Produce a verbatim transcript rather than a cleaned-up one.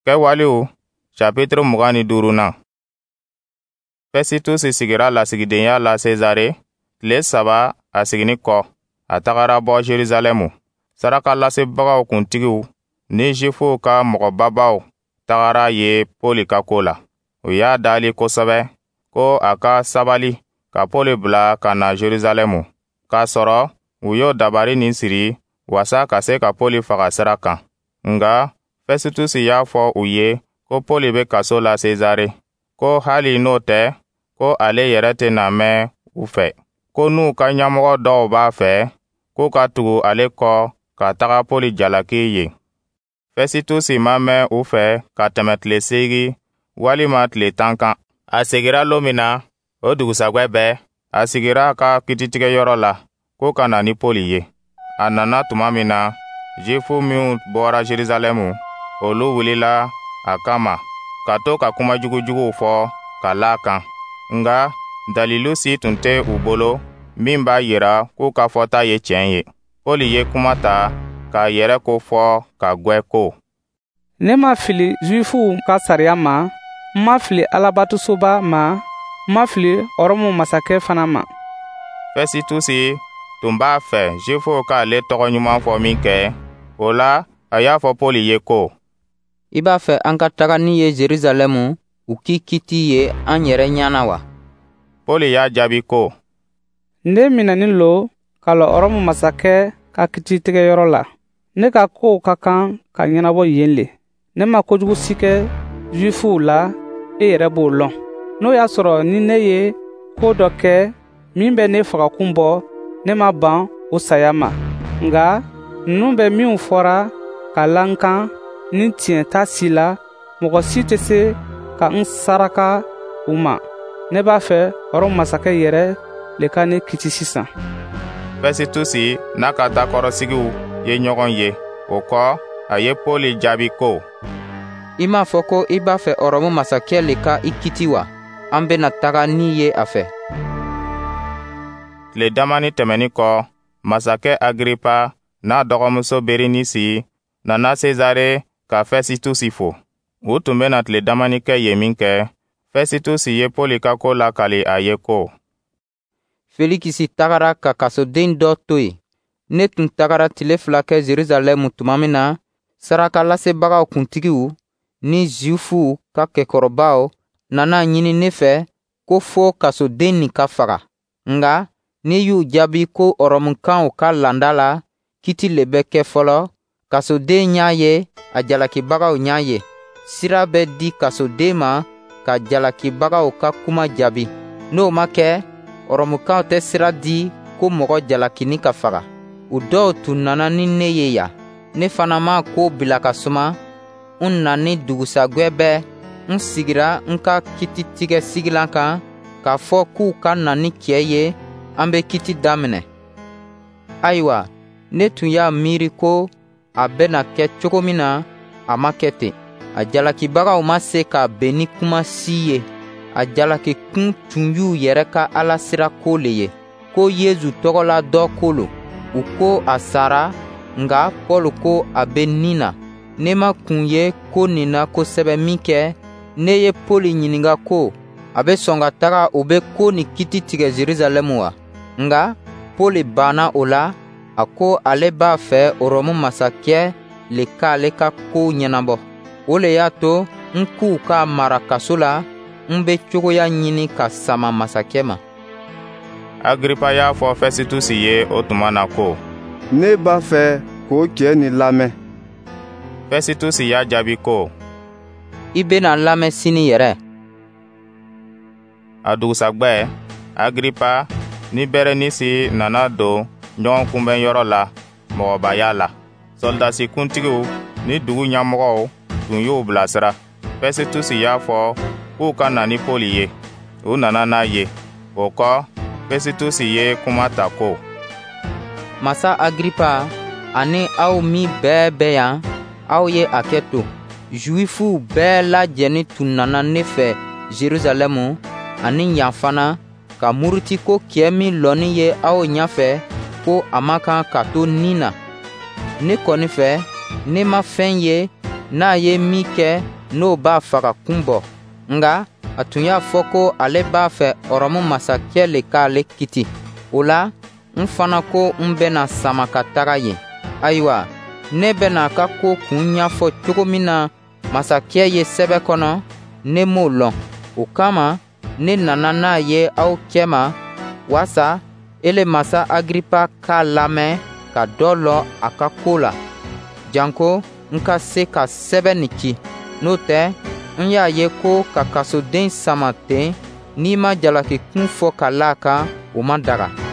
Kɛwalew chapitre mugan ni duurunan. Fɛsitusi sigira lasigidenya la Sezare. Tile saba a seginni kɔ, a tagara bɔ Jerusalɛmu. Sarakalasebagaw kuntigiw ni Zifuw ka mɔgɔbabaw tagara ye Pɔli ka ko la. U y'a dali kosɛbɛ ko a ka sabali ka Pɔli bila ka na Jerusalɛmu, k'a sɔrɔ u y'o dabari nin siri wasa ka se ka Pɔli faga sira kan. Nga Fɛsitusi y'a fɔ u ye ko Pɔli bɛ kaso la Sezare, ko hali n'o tɛ, ko ale yɛrɛ tɛna mɛn u fɛ, ko n'u ka ɲɛmɔgɔ dɔw b'a fɛ k'u ka tugu ale kɔ ka taga Pɔli jalaki yen. Fɛsitusi ma mɛn u fɛ ka tɛmɛ tile seegin walima tile tan kan. A segira lon min na, o dugusagwɛ bɛɛ, a sigira a ka kititigɛyɔrɔ la ko ka na ni Pɔli ye. A nana tuma min na, Zifu minw bɔra Jerusalɛmu, olu wulila a kama ka to ka kuma jugujuguw fɔ ka la a kan. Nga dalilu si tun tɛ u bolo min b'a yira k'u ka fɔta ye tiɲɛ ye. Pɔli ye kuma ta k'a yɛrɛ ko fɔ ka gwɛ ko: Ne ma fili Zuwifuw ka sariya ma, n ma fili Alabatosoba ma, n ma fili Ɔrɔmu masakɛ fana ma. Fɛsitusi tun b'a fɛ Zifuw k'ale tɔgɔ ɲuman fɔ min kɛ, o la a y'a fɔ Pɔli ye ko: I b'a fɛ an ka taga n'i ye Jerusalɛmu, u k'i kiti ye an yɛrɛ ɲɛ na wa? Pɔli y'a jaabi ko: Ne minɛnin lo ka lɔ Ɔrɔmu masakɛ ka kititigɛyɔrɔ la. Ne ka kow ka kan ka ɲɛnabɔ yen le. Ne ma kojugu si kɛ Zuwifuw la, e yɛrɛ b'o lɔn. N'o y'a sɔrɔ ni ne ye ko dɔ kɛ min bɛ ne fagakun bɔ, ne ma ban o saya ma. Nka ninnu bɛ minw fɔra ka la n kan ni tiɲɛ t'a si la, mɔgɔ si tɛ se ka n saraka u ma. Ne b'a fɛ Ɔrɔmu masakɛ yɛrɛ le ka ne kiti sisan. Fɛsitusi n'a ka takɔrɔsigiw ye ɲɔgɔn ye. O kɔ, a ye Pɔli jaabi ko: I m'a fɔ ko i b'a fɛ Ɔrɔmu masakɛ le ka i kiti wa? An bena taga n'i ye a fɛ. Tile damani tɛmɛnin kɔ, masakɛ Agiripa n'a dɔgɔmuso Berenisi nana Sezare ka Fɛsitusi fo. U tun bena tile damani kɛ yen min kɛ, Fɛsitusi ye Pɔli ka ko lakali a ye ko: Felikisi tagara ka kasoden dɔ to yen. Ne tun tagara tile fila kɛ Jerusalɛmu tuma min na, sarakalasebagaw kuntigiw ni Zuwifuw ka kɛkɔrɔbaw nana ɲini ne fɛ ko fo kasoden nin ka faga. Nga ne y'u jaabi ko Ɔrɔmukaw ka laada la, kiti le bɛ kɛ fɔlɔ, kasoden ɲ'a ye, a jalakibagaw ɲ'a ye. Sira bɛ di kasoden ma ka jalakibagaw ka kuma jaabi. N'o ma kɛ, Ɔrɔmukaw tɛ sira di ko mɔgɔ jalakini ka faga. U dɔw tun nana ni ne ye yan. Ne fana ma ko bila ka suma. N nani dugusagwɛ bɛɛ, n sigira n ka kititigɛ sigilan kan k'a fɔ k'u ka na ni cɛ ye, an bɛ kiti daminɛ. Ayiwa, ne tun y'a miiri ko a bɛna kɛ cogo min na, a ma kɛ ten. A jalakibagaw ma se ka bɛn ni kuma si ye. A jalakikun tun y'u yɛrɛ ka Ala sira ko le ye, ko Yezu tɔgɔ la dɔ ko lo. U ko a sara, nka Pɔli ko a bɛ ni na. Ne ma kun ye ko nin na kosɛbɛ min kɛ, ne ye Pɔli ɲininka ko a bɛ sɔn ka taga u bɛ ko nin kiti tigɛ Jerusalɛmu wa? Nka Pɔli banna o la, a ko ale b'a fɛ Ɔrɔmu masakɛ le k'ale ka kow ɲɛnabɔ. O le y'a to n k'u k'a mara kaso la, n bɛ cogoya ɲini ka sama masakɛ ma. Agiripa y'a fɔ Fɛsitusi ye o tuma na ko: Ne b'a fɛ k'o cɛ nin lamɛn. Fɛsitusi y'a jaabi ko: I bɛna lamɛn sini yɛrɛ. A dugusagwɛ, Agiripa ni Berenisi nana don ɲɔgɔn kunbɛnyɔrɔ la mɔgɔbaya la. Sɔrɔdasi kuntigiw ni dugu ɲɛmɔgɔw tun y'u bilasira. Fɛsitusi y'a fɔ k'u ka na ni Pɔli ye. U nana n'a ye. O kɔ, Fɛsitusi ye kuma ta ko: Masa Agiripa ani aw min bɛɛ bɛ yan, aw ye a kɛ to. Zuwifuw bɛɛ lajɛnin tun nana ne fɛ Jerusalɛmu ani yan fana, ka muruti ko cɛ min lɔnin ye aw ɲɛfɛ, ko a man kan ka to ni na. Ne kɔni fɛ, ne ma fɛn ye n'a ye min kɛ, n'o b'a faga kun bɔ. Nka a tun y'a fɔ ko ale b'a fɛ Ɔrɔmu masakɛ le k'ale kiti. O la, n fana ko n bɛna sama ka taga yen. Ayiwa, ne bɛna a ka ko kun ɲɛfɔ cogo min na masakɛ ye sɛbɛ kɔnɔ, ne m'o lɔn. O kama, ne nana n'a ye aw cɛma, waasa ele masa Agiripa k'a lamɛn ka dɔ lɔn a ka ko la, janko n ka se ka sɛbɛ nin ci. N'o tɛ, n y'a ye ko ka kasoden sama ten n'i ma jalakikun fɔ ka la a kan, o ma daga.